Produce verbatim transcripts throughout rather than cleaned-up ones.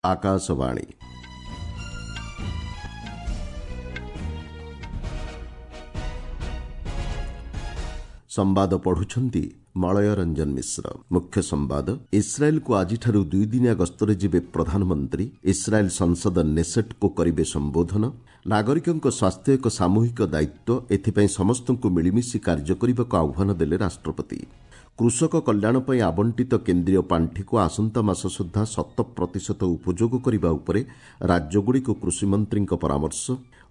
ଆକାଶବାଣୀ। ସମ୍ବାଦ ପଢୁଛନ୍ତି ମଳୟ ରଞ୍ଜନ ମିଶ୍ର। ମୁଖ୍ୟ ସମ୍ବାଦ, ଇସ୍ରାଏଲକୁ ଆଜିଠାରୁ ଦୁଇଦିନିଆ ଗସ୍ତରେ ଯିବେ ପ୍ରଧାନମନ୍ତ୍ରୀ। ଇସ୍ରାଏଲ ସଂସଦ ନେସେଟକୁ କରିବେ ସମ୍ବୋଧନ। ନାଗରିକଙ୍କ ସ୍ୱାସ୍ଥ୍ୟ ଏକ ସାମୂହିକ ଦାୟିତ୍ୱ, ଏଥିପାଇଁ ସମସ୍ତଙ୍କୁ ମିଳିମିଶି କାର୍ଯ୍ୟ କରିବାକୁ ଆହ୍ୱାନ ଦେଲେ ରାଷ୍ଟ୍ରପତି। କୃଷକ କଲ୍ୟାଣ ପାଇଁ ଆବଣ୍ଟିତ କେନ୍ଦ୍ରୀୟ ପାଣ୍ଠିକୁ ଆସନ୍ତା ମାସ ସୁଦ୍ଧା ଶତ ପ୍ରତିଶତ ଉପଯୋଗ କରିବା ଉପରେ ରାଜ୍ୟଗୁଡ଼ିକୁ କୃଷିମନ୍ତ୍ରୀଙ୍କ ପରାମର୍ଶ।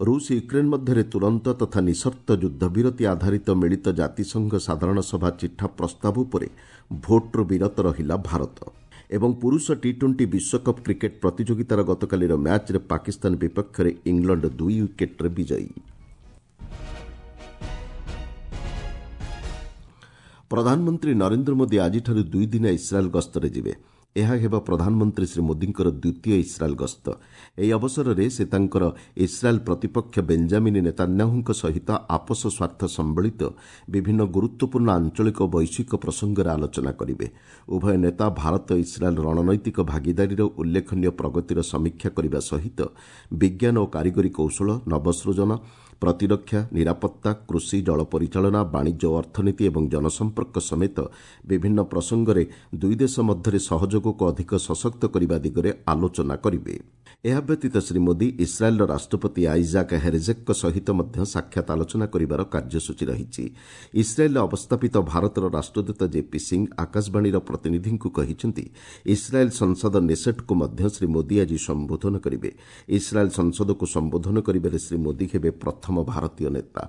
ରୁଷ ୟୁକ୍ରେନ ମଧ୍ୟରେ ତୁରନ୍ତ ତଥା ନିଃସର୍ତ୍ତ ଯୁଦ୍ଧବିରତି ଆଧାରିତ ମିଳିତ ଜାତିସଂଘ ସାଧାରଣ ସଭା ଚିଠା ପ୍ରସ୍ତାବ ଉପରେ ଭୋଟ୍ରୁ ବିରତ ରହିଲା ଭାରତ। ଏବଂ ପୁରୁଷ ଟି ଟ୍ୱେଣ୍ଟି ବିଶ୍ୱକପ୍ କ୍ରିକେଟ୍ ପ୍ରତିଯୋଗିତାର ଗତକାଲିର ମ୍ୟାଚ୍ରେ ପାକିସ୍ତାନ ବିପକ୍ଷରେ ଇଂଲଣ୍ଡ ଦୁଇ ୱିକେଟ୍ରେ ବିଜୟୀ। ପ୍ରଧାନମନ୍ତ୍ରୀ ନରେନ୍ଦ୍ର ମୋଦି ଆଜିଠାରୁ ଦୁଇଦିନିଆ ଇସ୍ରାଏଲ୍ ଗସ୍ତରେ ଯିବେ। ଏହା ହେବ ପ୍ରଧାନମନ୍ତ୍ରୀ ଶ୍ରୀ ମୋଦିଙ୍କର ଦ୍ୱିତୀୟ ଇସ୍ରାଏଲ୍ ଗସ୍ତ। ଏହି ଅବସରରେ ସେ ତାଙ୍କର ଇସ୍ରାଏଲ୍ ପ୍ରତିପକ୍ଷ ବେଞ୍ଜାମିନ୍ ନେତାନ୍ୟାହୁଙ୍କ ସହିତ ଆପୋଷ ସ୍ୱାର୍ଥ ସମ୍ବଳିତ ବିଭିନ୍ନ ଗୁରୁତ୍ୱପୂର୍ଣ୍ଣ ଆଞ୍ଚଳିକ ଓ ବୈଶ୍ୱିକ ପ୍ରସଙ୍ଗରେ ଆଲୋଚନା କରିବେ। ଉଭୟ ନେତା ଭାରତ ଇସ୍ରାଏଲ୍ ରଣନୈତିକ ଭାଗିଦାରୀର ଉଲ୍ଲେଖନୀୟ ପ୍ରଗତିର ସମୀକ୍ଷା କରିବା ସହିତ ବିଜ୍ଞାନ ଓ କାରିଗରୀ କୌଶଳ, ନବସୃଜନ, ପ୍ରତିରକ୍ଷା, ନିରାପତ୍ତା, କୃଷି, ଜଳ ପରିଚାଳନା, ବାଣିଜ୍ୟ ଓ ଅର୍ଥନୀତି ଏବଂ ଜନସମ୍ପର୍କ ସମେତ ବିଭିନ୍ନ ପ୍ରସଙ୍ଗରେ ଦୁଇ ଦେଶ ମଧ୍ୟରେ ସହଯୋଗକୁ ଅଧିକ ସଶକ୍ତ କରିବା ଦିଗରେ ଆଲୋଚନା କରିବେ। ଏହା ବ୍ୟତୀତ ଶ୍ରୀ ମୋଦି ଇସ୍ରାଏଲ୍ର ରାଷ୍ଟ୍ରପତି ଆଇଜାକ୍ ହେରଜେକ୍ଙ୍କ ସହିତ ମଧ୍ୟ ସାକ୍ଷାତ ଆଲୋଚନା କରିବାର କାର୍ଯ୍ୟସୂଚୀ ରହିଛି। ଇସ୍ରାଏଲ୍ରେ ଅବସ୍ଥାପିତ ଭାରତର ରାଷ୍ଟ୍ରଦୂତ ଜେପି ସିଂ ଆକାଶବାଣୀର ପ୍ରତିନିଧିଙ୍କୁ କହିଛନ୍ତି, ଇସ୍ରାଏଲ୍ ସଂସଦ ନେସେଟ୍କୁ ମଧ୍ୟ ଶ୍ରୀ ମୋଦି ଆଜି ସମ୍ବୋଧନ କରିବେ। ଇସ୍ରାଏଲ୍ ସଂସଦକୁ ସମ୍ବୋଧନ କରିବାରେ ଶ୍ରୀ ମୋଦି ହେବେ ପ୍ରଥମ ଭାରତୀୟ ନେତା।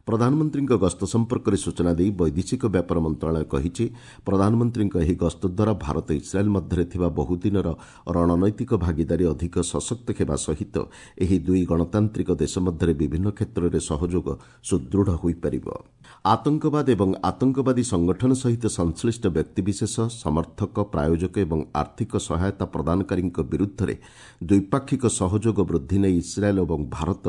ପ୍ରଧାନମନ୍ତ୍ରୀଙ୍କ ଗସ୍ତ ସମ୍ପର୍କରେ ସୂଚନା ଦେଇ ବୈଦେଶିକ ବ୍ୟାପାର ମନ୍ତ୍ରଣାଳୟ କହିଛି, ପ୍ରଧାନମନ୍ତ୍ରୀଙ୍କ ଏହି ଗସ୍ତ ଦ୍ୱାରା ଭାରତ ଇସ୍ରାଏଲ୍ ମଧ୍ୟରେ ଥିବା ବହୁଦିନର ରଣନୈତିକ ଭାଗିଦାରୀ ଅଧିକ ସଶକ୍ତ ହେବା ସହିତ ଏହି ଦୁଇ ଗଣତାନ୍ତ୍ରିକ ଦେଶ ମଧ୍ୟରେ ବିଭିନ୍ନ କ୍ଷେତ୍ରରେ ସହଯୋଗ ସୁଦୃଢ଼ ହୋଇପାରିବ। ଆତଙ୍କବାଦ ଏବଂ ଆତଙ୍କବାଦୀ ସଂଗଠନ ସହିତ ସଂଶ୍ଳିଷ୍ଟ ବ୍ୟକ୍ତିବିଶେଷ, ସମର୍ଥକ, ପ୍ରାୟୋଜକ ଏବଂ ଆର୍ଥିକ ସହାୟତା ପ୍ରଦାନକାରୀଙ୍କ ବିରୁଦ୍ଧରେ ଦ୍ୱିପାକ୍ଷିକ ସହଯୋଗ ବୃଦ୍ଧି ନେଇ ଇସ୍ରାଏଲ୍ ଏବଂ ଭାରତ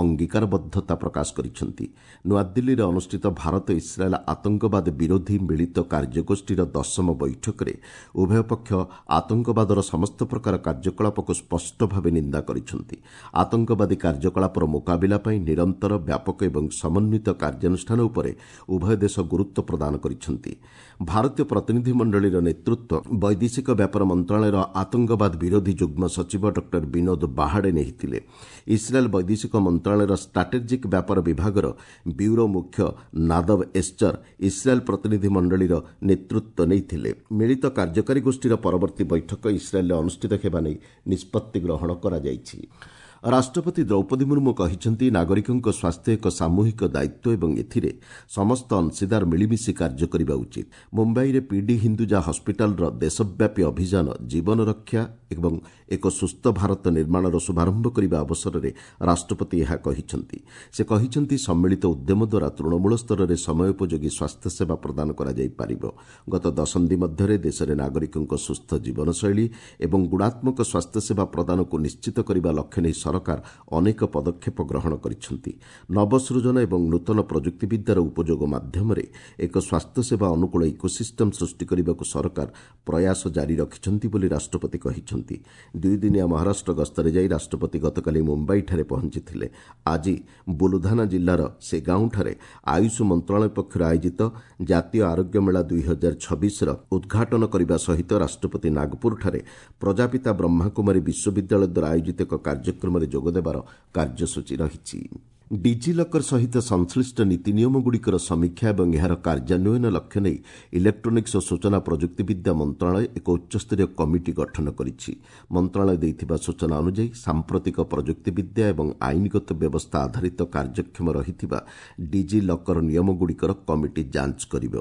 ଅଙ୍ଗୀକାରବଦ୍ଧତା ପ୍ରକାଶ କରିଛନ୍ତି। ନୂଆଦିଲ୍ଲୀରେ ଅନୁଷ୍ଠିତ ଭାରତ ଇସ୍ରାଏଲ୍ ଆତଙ୍କବାଦ ବିରୋଧୀ ମିଳିତ କାର୍ଯ୍ୟଗୋଷ୍ଠୀର ଦଶମ ବୈଠକରେ ଉଭୟ ପକ୍ଷ ଆତଙ୍କବାଦର ସମସ୍ତ ପ୍ରକାର କାର୍ଯ୍ୟକଳାପକୁ ସ୍ପଷ୍ଟ ଭାବେ ନିନ୍ଦା କରିଛନ୍ତି। ଆତଙ୍କବାଦୀ କାର୍ଯ୍ୟକଳାପର ମୁକାବିଲା ପାଇଁ ନିରନ୍ତର, ବ୍ୟାପକ ଏବଂ ସମନ୍ୱିତ କାର୍ଯ୍ୟାନୁଷ୍ଠାନ ଉପରେ ଉଭୟ ଦେଶ ଗୁରୁତ୍ୱ ପ୍ରଦାନ କରିଛନ୍ତି। ଭାରତୀୟ ପ୍ରତିନିଧି ମଣ୍ଡଳୀର ନେତୃତ୍ୱ ବୈଦେଶିକ ବ୍ୟାପାର ମନ୍ତ୍ରଣାଳୟର ଆତଙ୍କବାଦ ବିରୋଧୀ ଯୁଗ୍ମ ସଚିବ ଡକ୍ଟର ବିନୋଦ ବାହାଡେ ନେଇଥିଲେ। ଇସ୍ରାଏଲ୍ ବୈଦେଶିକ ମନ୍ତ୍ରଣାଳୟର ଷ୍ଟ୍ରାଟେଜିକ୍ ବ୍ୟାପାର ବିଭାଗର ବ୍ୟୁରୋ ମୁଖ୍ୟ ନାଦବ ଏସ୍ଚର ଇସ୍ରାଏଲ୍ ପ୍ରତିନିଧି ମଣ୍ଡଳୀର ନେତୃତ୍ୱ ନେଇଥିଲେ। ମିଳିତ କାର୍ଯ୍ୟକାରୀ ଗୋଷ୍ଠୀର ପରବର୍ତ୍ତୀ ବୈଠକ ଇସ୍ରାଏଲ୍ରେ ଅନୁଷ୍ଠିତ ହେବା ନେଇ ନିଷ୍ପତ୍ତି ଗ୍ରହଣ କରାଯାଇଛି। ରାଷ୍ଟ୍ରପତି ଦ୍ରୌପଦୀ ମୁର୍ମୁ କହିଛନ୍ତି, ନାଗରିକଙ୍କ ସ୍ୱାସ୍ଥ୍ୟ ଏକ ସାମୂହିକ ଦାୟିତ୍ୱ ଏବଂ ଏଥିରେ ସମସ୍ତ ଅଂଶୀଦାର ମିଳିମିଶି କାର୍ଯ୍ୟ କରିବା ଉଚିତ। ମୁମ୍ବାଇରେ ପିଡି ହିନ୍ଦୁଜା ହସ୍ପିଟାଲର ଦେଶବ୍ୟାପୀ ଅଭିଯାନ ଜୀବନ ରକ୍ଷା ଏବଂ ଏକ ସୁସ୍ଥ ଭାରତ ନିର୍ମାଣର ଶୁଭାରମ୍ଭ କରିବା ଅବସରରେ ରାଷ୍ଟ୍ରପତି ଏହା କହିଛନ୍ତି। ସେ କହିଛନ୍ତି, ସମ୍ମିଳିତ ଉଦ୍ୟମ ଦ୍ୱାରା ତୃଣମୂଳ ସ୍ତରରେ ସମୟୋପଯୋଗୀ ସ୍ୱାସ୍ଥ୍ୟସେବା ପ୍ରଦାନ କରାଯାଇପାରିବ। ଗତ ଦଶନ୍ଧି ମଧ୍ୟରେ ଦେଶରେ ନାଗରିକଙ୍କ ସୁସ୍ଥ ଜୀବନଶୈଳୀ ଏବଂ ଗୁଣାତ୍ମକ ସ୍ୱାସ୍ଥ୍ୟସେବା ପ୍ରଦାନକୁ ନିଶ୍ଚିତ କରିବା ଲକ୍ଷ୍ୟ ନେଇ ସରକାର ଅନେକ ପଦକ୍ଷେପ ଗ୍ରହଣ କରିଛନ୍ତି। ନବସୃଜନ ଏବଂ ନୂତନ ପ୍ରଯୁକ୍ତିବିଦ୍ୟାର ଉପଯୋଗ ମାଧ୍ୟମରେ ଏକ ସ୍ୱାସ୍ଥ୍ୟସେବା ଅନୁକୂଳ ଇକୋସିଷ୍ଟମ ସୃଷ୍ଟି କରିବାକୁ ସରକାର ପ୍ରୟାସ ଜାରି ରଖିଛନ୍ତି ବୋଲି ରାଷ୍ଟ୍ରପତି କହିଛନ୍ତି। ଦୁଇଦିନିଆ ମହାରାଷ୍ଟ୍ର ଗସ୍ତରେ ଯାଇ ରାଷ୍ଟ୍ରପତି ଗତକାଲି ମୁମ୍ବାଇଠାରେ ପହଞ୍ଚିଥିଲେ। ଆଜି ବୁଲଧାନା ଜିଲ୍ଲାର ସେଗାଉଁଠାରେ ଆୟୁଷ ମନ୍ତ୍ରଣାଳୟ ପକ୍ଷରୁ ଆୟୋଜିତ ଜାତୀୟ ଆରୋଗ୍ୟ ମେଳା ଦୁଇ ହଜାର ଛବିଶର ଉଦ୍ଘାଟନ କରିବା ସହିତ ରାଷ୍ଟ୍ରପତି ନାଗପୁରଠାରେ ପ୍ରଜାପିତା ବ୍ରହ୍ମାକୁମାରୀ ବିଶ୍ୱବିଦ୍ୟାଳୟ ଦ୍ୱାରା ଆୟୋଜିତ ଏକ କାର୍ଯ୍ୟକ୍ରମରେ ଯୋଗଦେବାର କାର୍ଯ୍ୟସୂଚୀ ରହିଛି। ଡିଜିଲକର ସହିତ ସଂଶ୍ଳିଷ୍ଟ ନୀତି ନିୟମଗୁଡ଼ିକର ସମୀକ୍ଷା ଏବଂ ଏହାର କାର୍ଯ୍ୟାନ୍ୱୟନ ଲକ୍ଷ୍ୟ ନେଇ ଇଲେକ୍ଟ୍ରୋନିକ୍ସ ଓ ସୂଚନା ପ୍ରଯୁକ୍ତିବିଦ୍ୟା ମନ୍ତ୍ରଣାଳୟ ଏକ ଉଚ୍ଚସ୍ତରୀୟ କମିଟି ଗଠନ କରିଛି। ମନ୍ତ୍ରଣାଳୟ ଦେଇଥିବା ସୂଚନା ଅନୁଯାୟୀ, ସାମ୍ପ୍ରତିକ ପ୍ରଯୁକ୍ତିବିଦ୍ୟା ଏବଂ ଆଇନଗତ ବ୍ୟବସ୍ଥା ଆଧାରିତ କାର୍ଯ୍ୟକ୍ଷମ ରହିଥିବା ଡିଜିଲକର ନିୟମଗୁଡ଼ିକର କମିଟି ଯାଞ୍ଚ କରିବ।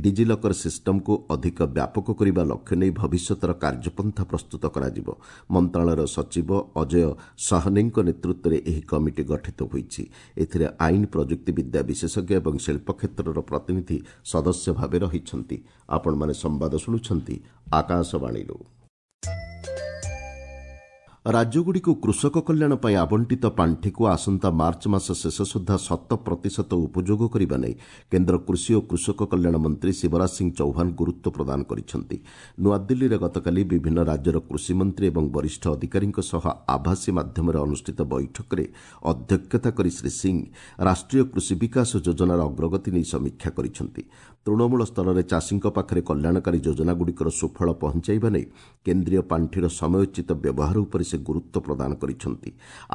ଡିଜିଲକର ସିଷ୍ଟମକୁ ଅଧିକ ବ୍ୟାପକ କରିବା ଲକ୍ଷ୍ୟ ନେଇ ଭବିଷ୍ୟତର କାର୍ଯ୍ୟପନ୍ଥା ପ୍ରସ୍ତୁତ କରାଯିବ। ମନ୍ତ୍ରଣାଳୟର ସଚିବ ଅଜୟ ସହନେଙ୍କ ନେତୃତ୍ୱରେ ଏହି କମିଟି ଗଠିତ ହୋଇଛି। ଏଥିରେ ଆଇନ, ପ୍ରଯୁକ୍ତିବିଦ୍ୟା ବିଶେଷଜ୍ଞ ଏବଂ ଶିଳ୍ପ କ୍ଷେତ୍ରର ପ୍ରତିନିଧି ସଦସ୍ୟ ଭାବେ ରହିଛନ୍ତି। ଆପଣମାନେ ସମ୍ବାଦ ଶୁଣୁଛନ୍ତି ଆକାଶବାଣୀରୁ। ରାଜ୍ୟଗୁଡ଼ିକୁ କୃଷକ କଲ୍ୟାଣ ପାଇଁ ଆବଣ୍ଟିତ ପାଣ୍ଠିକୁ ଆସନ୍ତା ମାର୍ଚ୍ଚ ମାସ ଶେଷ ସୁଦ୍ଧା ଶତ ପ୍ରତିଶତ ଉପଯୋଗ କରିବା ନେଇ କେନ୍ଦ୍ର କୃଷି ଓ କୃଷକ କଲ୍ୟାଣ ମନ୍ତ୍ରୀ ଶିବରାଜ ସିଂ ଚୌହାନ ଗୁରୁତ୍ୱ ପ୍ରଦାନ କରିଛନ୍ତି। ନୂଆଦିଲ୍ଲୀରେ ଗତକାଲି ବିଭିନ୍ନ ରାଜ୍ୟର କୃଷିମନ୍ତ୍ରୀ ଏବଂ ବରିଷ୍ଠ ଅଧିକାରୀଙ୍କ ସହ ଆଭାସୀ ମାଧ୍ୟମରେ ଅନୁଷ୍ଠିତ ବୈଠକରେ ଅଧ୍ୟକ୍ଷତା କରି ଶ୍ରୀ ସିଂ ରାଷ୍ଟ୍ରୀୟ କୃଷି ବିକାଶ ଯୋଜନାର ଅଗ୍ରଗତି ନେଇ ସମୀକ୍ଷା କରିଛନ୍ତି। ତୃଣମୂଳ ସ୍ତରରେ ଚାଷୀଙ୍କ ପାଖରେ କଲ୍ୟାଣକାରୀ ଯୋଜନାଗୁଡ଼ିକର ସୁଫଳ ପହଞ୍ଚାଇବା ନେଇ କେନ୍ଦ୍ରୀୟ ପାଣ୍ଠିର ସମୟୋଚିତ ବ୍ୟବହାର ଉପରେ ସେ ଗୁରୁତ୍ୱ ପ୍ରଦାନ କରିଛନ୍ତି।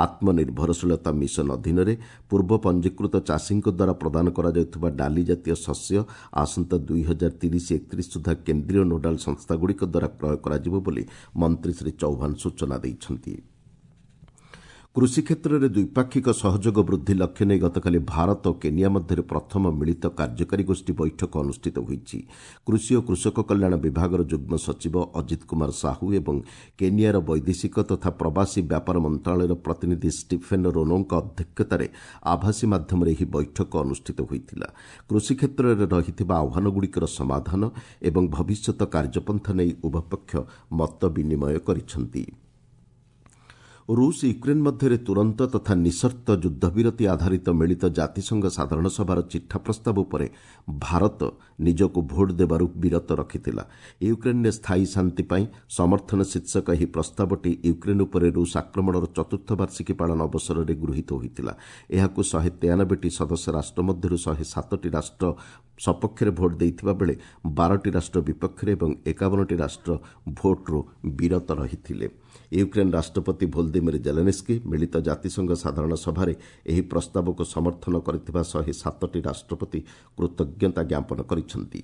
ଆତ୍ମନିର୍ଭରଶୀଳତା ମିଶନ ଅଧୀନରେ ପୂର୍ବ ପଞ୍ଜୀକୃତ ଚାଷୀଙ୍କ ଦ୍ୱାରା ପ୍ରଦାନ କରାଯାଉଥିବା ଡାଲି ଜାତୀୟ ଶସ୍ୟ ଆସନ୍ତା ଦୁଇ ହଜାର ତିରିଶ ଏକତିରିଶ ସୁଦ୍ଧା କେନ୍ଦ୍ରୀୟ ନୋଡାଲ ସଂସ୍ଥାଗୁଡ଼ିକ ଦ୍ୱାରା କ୍ରୟ କରାଯିବ ବୋଲି ମନ୍ତ୍ରୀ ଶ୍ରୀ ଚୌହାନ ସୂଚନା ଦେଇଛନ୍ତି। କୃଷି କ୍ଷେତ୍ରରେ ଦ୍ୱିପାକ୍ଷିକ ସହଯୋଗ ବୃଦ୍ଧି ଲକ୍ଷ୍ୟ ନେଇ ଗତକାଲି ଭାରତ ଓ କେନିଆ ମଧ୍ୟରେ ପ୍ରଥମ ମିଳିତ କାର୍ଯ୍ୟକାରୀ ଗୋଷ୍ଠୀ ବୈଠକ ଅନୁଷ୍ଠିତ ହୋଇଛି। କୃଷି ଓ କୃଷକ କଲ୍ୟାଣ ବିଭାଗର ଯୁଗ୍ମ ସଚିବ ଅଜିତ କୁମାର ସାହୁ ଏବଂ କେନିଆର ବୈଦେଶିକ ତଥା ପ୍ରବାସୀ ବ୍ୟାପାର ମନ୍ତ୍ରଣାଳୟର ପ୍ରତିନିଧି ଷ୍ଟିଫେନ୍ ରୋନୋଙ୍କ ଅଧ୍ୟକ୍ଷତାରେ ଆଭାସୀ ମାଧ୍ୟମରେ ଏହି ବୈଠକ ଅନୁଷ୍ଠିତ ହୋଇଥିଲା। କୃଷି କ୍ଷେତ୍ରରେ ରହିଥିବା ଆହ୍ୱାନଗୁଡ଼ିକର ସମାଧାନ ଏବଂ ଭବିଷ୍ୟତ କାର୍ଯ୍ୟପନ୍ଥା ନେଇ ଉଭୟ ପକ୍ଷ ମତ ବିନିମୟ କରିଛନ୍ତି। ରୁଷ ୟୁକ୍ରେନ୍ ମଧ୍ୟରେ ତୁରନ୍ତ ତଥା ନିଃସର୍ତ୍ତ ଯୁଦ୍ଧବିରତି ଆଧାରିତ ମିଳିତ ଜାତିସଂଘ ସାଧାରଣ ସଭାର ଚିଠା ପ୍ରସ୍ତାବ ଉପରେ ଭାରତ ନିଜକୁ ଭୋଟ୍ ଦେବାରୁ ବିରତ ରଖିଥିଲା। ୟୁକ୍ରେନ୍ରେ ସ୍ଥାୟୀ ଶାନ୍ତି ପାଇଁ ସମର୍ଥନ ଶୀର୍ଷକ ଏହି ପ୍ରସ୍ତାବଟି ୟୁକ୍ରେନ୍ ଉପରେ ରୁଷ ଆକ୍ରମଣର ଚତୁର୍ଥ ବାର୍ଷିକୀ ପାଳନ ଅବସରରେ ଗୃହୀତ ହୋଇଥିଲା। ଏହାକୁ ଶହେ ତେୟାନବେଟି ସଦସ୍ୟ ରାଷ୍ଟ୍ର ମଧ୍ୟରୁ ଶହେ ସାତଟି ରାଷ୍ଟ୍ର ସପକ୍ଷରେ ଭୋଟ୍ ଦେଇଥିବା ବେଳେ ବାରଟି ରାଷ୍ଟ୍ର ବିପକ୍ଷରେ ଏବଂ ଏକାବନଟି ରାଷ୍ଟ୍ର ଭୋଟ୍ରୁ ବିରତ ରହିଥିଲେ। ୟୁକ୍ରେନ୍ ରାଷ୍ଟ୍ରପତି ଭୋଲଦିମିର ଜେଲେନ୍ସ୍କି ମିଳିତ ଜାତିସଂଘ ସାଧାରଣ ସଭାରେ ଏହି ପ୍ରସ୍ତାବକୁ ସମର୍ଥନ କରିଥିବା ଶହେ ସାତଟି ରାଷ୍ଟ୍ରପତି କୃତଜ୍ଞତା ଜ୍ଞାପନ କରିଛନ୍ତି।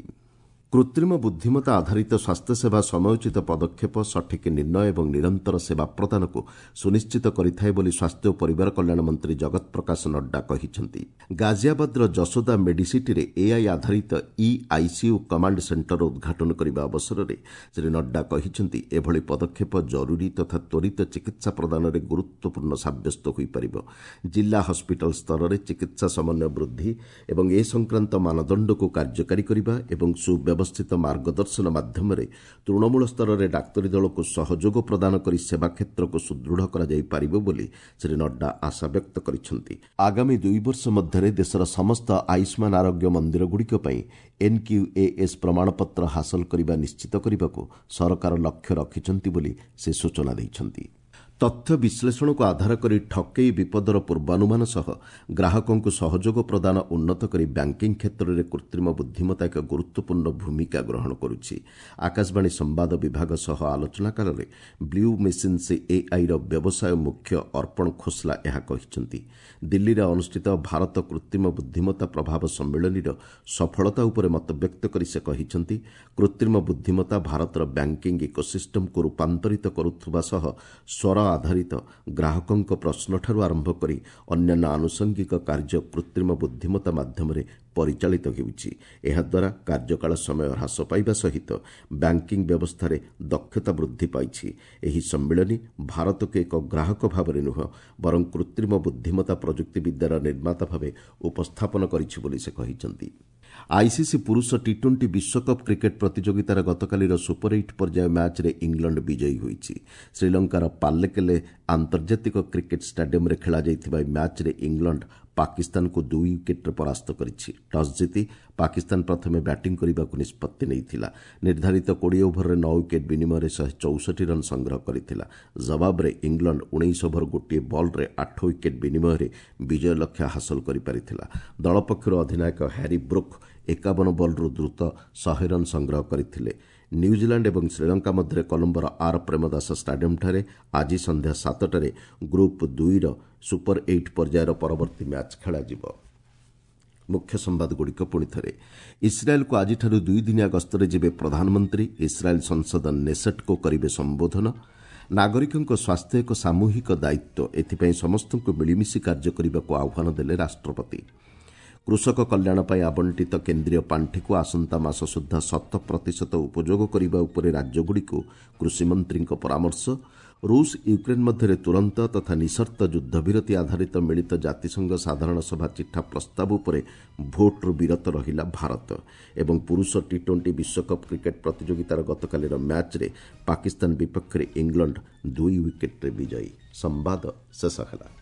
କୃତ୍ରିମ ବୁଦ୍ଧିମତ୍ତା ଆଧାରିତ ସ୍ୱାସ୍ଥ୍ୟସେବା ସମୟୋଚିତ ପଦକ୍ଷେପ, ସଠିକ୍ ନିର୍ଣ୍ଣୟ ଏବଂ ନିରନ୍ତର ସେବା ପ୍ରଦାନକୁ ସୁନିଶ୍ଚିତ କରିଥାଏ ବୋଲି ସ୍ୱାସ୍ଥ୍ୟ ଓ ପରିବାର କଲ୍ୟାଣ ମନ୍ତ୍ରୀ ଜଗତ ପ୍ରକାଶ ନଡ୍ଡା କହିଛନ୍ତି। ଗାଜିଆବାଦର ଯଶୋଦା ମେଡିସିଟିରେ ଏଆଇ ଆଧାରିତ ଇ ଆଇସିୟୁ କମାଣ୍ଡ ସେଣ୍ଟରର ଉଦ୍ଘାଟନ କରିବା ଅବସରରେ ଶ୍ରୀ ନଡ୍ଡା କହିଛନ୍ତି, ଏଭଳି ପଦକ୍ଷେପ ଜରୁରୀ ତଥା ତ୍ୱରିତ ଚିକିତ୍ସା ପ୍ରଦାନରେ ଗୁରୁତ୍ୱପୂର୍ଣ୍ଣ ସାବ୍ୟସ୍ତ ହୋଇପାରିବ। ଜିଲ୍ଲା ହସ୍ପିଟାଲ ସ୍ତରରେ ଚିକିତ୍ସା ସମନ୍ୱୟ ବୃଦ୍ଧି ଏବଂ ଏ ସଂକ୍ରାନ୍ତ ମାନଦଣ୍ଡକୁ କାର୍ଯ୍ୟକାରୀ କରିବା ଏବଂ ସୁବ୍ୟବସ୍ଥା ବ୍ୟବସ୍ଥିତ ମାର୍ଗଦର୍ଶନ ମାଧ୍ୟମରେ ତୃଣମୂଳ ସ୍ତରରେ ଡାକ୍ତରୀ ଦଳକୁ ସହଯୋଗ ପ୍ରଦାନ କରି ସେବା କ୍ଷେତ୍ରକୁ ସୁଦୃଢ଼ କରାଯାଇପାରିବ ବୋଲି ଶ୍ରୀ ନଡ୍ଡା ଆଶା ବ୍ୟକ୍ତ କରିଛନ୍ତି। ଆଗାମୀ ଦୁଇ ବର୍ଷ ମଧ୍ୟରେ ଦେଶର ସମସ୍ତ ଆୟୁଷ୍ମାନ ଆରୋଗ୍ୟ ମନ୍ଦିରଗୁଡ଼ିକ ପାଇଁ ଏନ୍କ୍ୟୁଏଏସ୍ ପ୍ରମାଣପତ୍ର ହାସଲ କରିବା ନିଶ୍ଚିତ କରିବାକୁ ସରକାର ଲକ୍ଷ୍ୟ ରଖିଛନ୍ତି ବୋଲି ସେ ସୂଚନା ଦେଇଛନ୍ତି। ତଥ୍ୟ ବିଶ୍ଳେଷଣକୁ ଆଧାର କରି ଠକେଇ ବିପଦର ପୂର୍ବାନୁମାନ ସହ ଗ୍ରାହକଙ୍କୁ ସହଯୋଗ ପ୍ରଦାନ ଉନ୍ନତ କରି ବ୍ୟାଙ୍କିଂ କ୍ଷେତ୍ରରେ କୃତ୍ରିମ ବୁଦ୍ଧିମତ୍ତା ଏକ ଗୁରୁତ୍ୱପୂର୍ଣ୍ଣ ଭୂମିକା ଗ୍ରହଣ କରୁଛି। ଆକାଶବାଣୀ ସମ୍ବାଦ ବିଭାଗ ସହ ଆଲୋଚନା କାଳରେ ବ୍ଲୁ ମେସିନ୍ସ ଏଆଇର ବ୍ୟବସାୟ ମୁଖ୍ୟ ଅର୍ପଣ ଖୋସ୍ଲା ଏହା କହିଛନ୍ତି। ଦିଲ୍ଲୀରେ ଅନୁଷ୍ଠିତ ଭାରତ କୃତ୍ରିମ ବୁଦ୍ଧିମତ୍ତା ପ୍ରଭାବ ସମ୍ମିଳନୀର ସଫଳତା ଉପରେ ମତବ୍ୟକ୍ତ କରି ସେ କହିଛନ୍ତି, କୃତ୍ରିମ ବୁଦ୍ଧିମତ୍ତା ଭାରତର ବ୍ୟାଙ୍କିଂ ଇକୋସିଷ୍ଟମକୁ ରୂପାନ୍ତରିତ କରୁଥିବା ସହ ସ୍ୱର ଆଧାରିତ ଗ୍ରାହକଙ୍କ ପ୍ରଶ୍ନଠାରୁ ଆରମ୍ଭ କରି ଅନ୍ୟାନ୍ୟ ଆନୁଷଙ୍ଗିକ କାର୍ଯ୍ୟ କୃତ୍ରିମ ବୁଦ୍ଧିମତ୍ତା ମାଧ୍ୟମରେ ପରିଚାଳିତ ହେଉଛି। ଏହାଦ୍ୱାରା କାର୍ଯ୍ୟକାଳ ସମୟ ହ୍ରାସ ପାଇବା ସହିତ ବ୍ୟାଙ୍କିଂ ବ୍ୟବସ୍ଥାରେ ଦକ୍ଷତା ବୃଦ୍ଧି ପାଇଛି। ଏହି ସମ୍ମିଳନୀ ଭାରତକୁ ଏକ ଗ୍ରାହକ ଭାବରେ ନୁହେଁ ବରଂ କୃତ୍ରିମ ବୁଦ୍ଧିମତ୍ତା ପ୍ରଯୁକ୍ତିବିଦ୍ୟାର ନିର୍ମାତା ଭାବେ ଉପସ୍ଥାପନ କରିଛି ବୋଲି ସେ କହିଛନ୍ତି। ଆଇସିସି ପୁରୁଷ ଟି ଟ୍ୱେଣ୍ଟି ବିଶ୍ୱକପ୍ କ୍ରିକେଟ୍ ପ୍ରତିଯୋଗିତାର ଗତକାଲିର ସୁପର ଏଇଟ୍ ପର୍ଯ୍ୟାୟ ମ୍ୟାଚ୍ରେ ଇଂଲଣ୍ଡ ବିଜୟୀ ହୋଇଛି। ଶ୍ରୀଲଙ୍କାର ପାଲ୍ଲେକେଲେ ଆନ୍ତର୍ଜାତିକ କ୍ରିକେଟ୍ ଷ୍ଟାଡିୟମ୍ରେ ଖେଳାଯାଇଥିବା ଏହି ମ୍ୟାଚ୍ରେ ଇଂଲଣ୍ଡ ପାକିସ୍ତାନକୁ ଦୁଇ ୱିକେଟ୍ରେ ପରାସ୍ତ କରିଛି। ଟସ୍ ଜିତି ପାକିସ୍ତାନ ପ୍ରଥମେ ବ୍ୟାଟିଂ କରିବାକୁ ନିଷ୍ପତ୍ତି ନେଇଥିଲା। ନିର୍ଦ୍ଧାରିତ କୋଡ଼ିଏ ଓଭରରେ ନଅ ୱିକେଟ୍ ବିନିମୟରେ ଶହେ ଚଉଷଠି ରନ୍ ସଂଗ୍ରହ କରିଥିଲା। ଜବାବରେ ଇଂଲଣ୍ଡ ଉଣେଇଶ ଓଭର ଗୋଟିଏ ବଲ୍ରେ ଆଠ ୱିକେଟ୍ ବିନିମୟରେ ବିଜୟ ଲକ୍ଷ୍ୟ ହାସଲ କରିପାରିଥିଲା। ଦଳ ପକ୍ଷରୁ ଅଧିନାୟକ ହ୍ୟାରି ବ୍ରୁକ୍ ଏକାବନ ବଲ୍ରୁ ଦ୍ରୁତ ଶହେ ରନ୍ ସଂଗ୍ରହ କରିଥିଲେ। ନ୍ୟୁଜିଲାଣ୍ଡ ଏବଂ ଶ୍ରୀଲଙ୍କା ମଧ୍ୟରେ କଲମ୍ବୋର ଆର୍ ପ୍ରେମଦାସ ଷ୍ଟାଡିୟମ୍ଠାରେ ଆଜି ସନ୍ଧ୍ୟା ସାତଟାରେ ଗ୍ରୁପ୍ ଦୁଇର ସୁପର ଏଇଟ୍ ପର୍ଯ୍ୟାୟର ପରବର୍ତ୍ତୀ ମ୍ୟାଚ୍ ଖେଳାଯିବ। ମୁଖ୍ୟ ସମ୍ବାଦଗୁଡ଼ିକ ପୁଣି ଥରେ। ଇସ୍ରାଏଲ୍କୁ ଆଜିଠାରୁ ଦୁଇଦିନିଆ ଗସ୍ତରେ ଯିବେ ପ୍ରଧାନମନ୍ତ୍ରୀ। ଇସ୍ରାଏଲ୍ ସଂସଦ ନେସେଟ୍କୁ କରିବେ ସମ୍ବୋଧନ। ନାଗରିକଙ୍କ ସ୍ୱାସ୍ଥ୍ୟ ଏକ ସାମୂହିକ ଦାୟିତ୍ୱ, ଏଥିପାଇଁ ସମସ୍ତଙ୍କୁ ମିଳିମିଶି କାର୍ଯ୍ୟ କରିବାକୁ ଆହ୍ୱାନ ଦେଲେ ରାଷ୍ଟ୍ରପତି। କୃଷକ କଲ୍ୟାଣ ପାଇଁ ଆବଣ୍ଟିତ କେନ୍ଦ୍ରୀୟ ପାଣ୍ଠିକୁ ଆସନ୍ତା ମାସ ସୁଦ୍ଧା ଶତ ପ୍ରତିଶତ ଉପଯୋଗ କରିବା ଉପରେ ରାଜ୍ୟଗୁଡ଼ିକୁ କୃଷିମନ୍ତ୍ରୀଙ୍କ ପରାମର୍ଶ। ରୁଷ ୟୁକ୍ରେନ୍ ମଧ୍ୟରେ ତୁରନ୍ତ ତଥା ନିଃସର୍ତ୍ତ ଯୁଦ୍ଧବିରତି ଆଧାରିତ ମିଳିତ ଜାତିସଂଘ ସାଧାରଣ ସଭା ଚିଠା ପ୍ରସ୍ତାବ ଉପରେ ଭୋଟ୍ରୁ ବିରତ ରହିଲା ଭାରତ ଏବଂ ପୁରୁଷ ଟି ଟ୍ୱେଣ୍ଟି ବିଶ୍ୱକପ୍ କ୍ରିକେଟ୍ ପ୍ରତିଯୋଗିତାର ଗତକାଲିର ମ୍ୟାଚ୍ରେ ପାକିସ୍ତାନ ବିପକ୍ଷରେ ଇଂଲଣ୍ଡ ଦୁଇ ୱିକେଟ୍ରେ ବିଜୟୀ। ସମ୍ବାଦ ଶେଷ ହେଲା।